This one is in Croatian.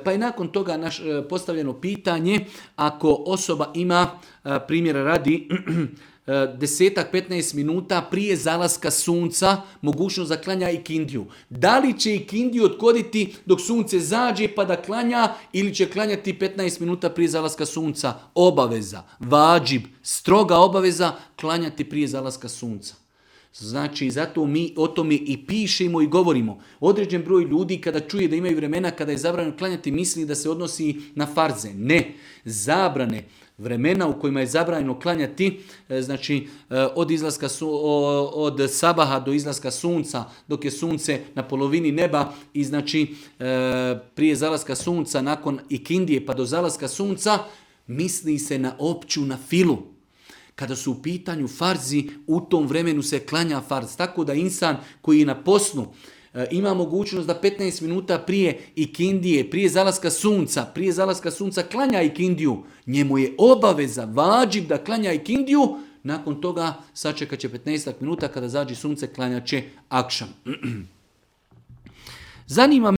Pa je nakon toga postavljeno pitanje, ako osoba ima, primjera radi, 10-15 minuta prije zalaska sunca mogućnost da klanja ikindiju. Da li će ikindiju odgoditi dok sunce zađe pa da klanja ili će klanjati 15 minuta prije zalaska sunca? Obaveza, vađib, stroga obaveza klanjati prije zalaska sunca. Znači, zato mi o tome i pišemo i govorimo. Određen broj ljudi kada čuje da imaju vremena kada je zabranjeno klanjati misli da se odnosi na farze. Ne, zabrane vremena u kojima je zabranjeno klanjati, znači od sabaha do izlaska sunca, dok je sunce na polovini neba i znači prije zalaska sunca, nakon ikindije pa do zalaska sunca, misli se na opću na filu. Kada su u pitanju farzi, u tom vremenu se klanja farz. Tako da insan koji je na poslu ima mogućnost da 15 minuta prije ikindije, prije zalaska sunca klanja ikindiju. Njemu je obaveza, vađib da klanja ikindiju. Nakon toga sačekat će 15 minuta, kada zađe sunce klanjat će akšam. Zanima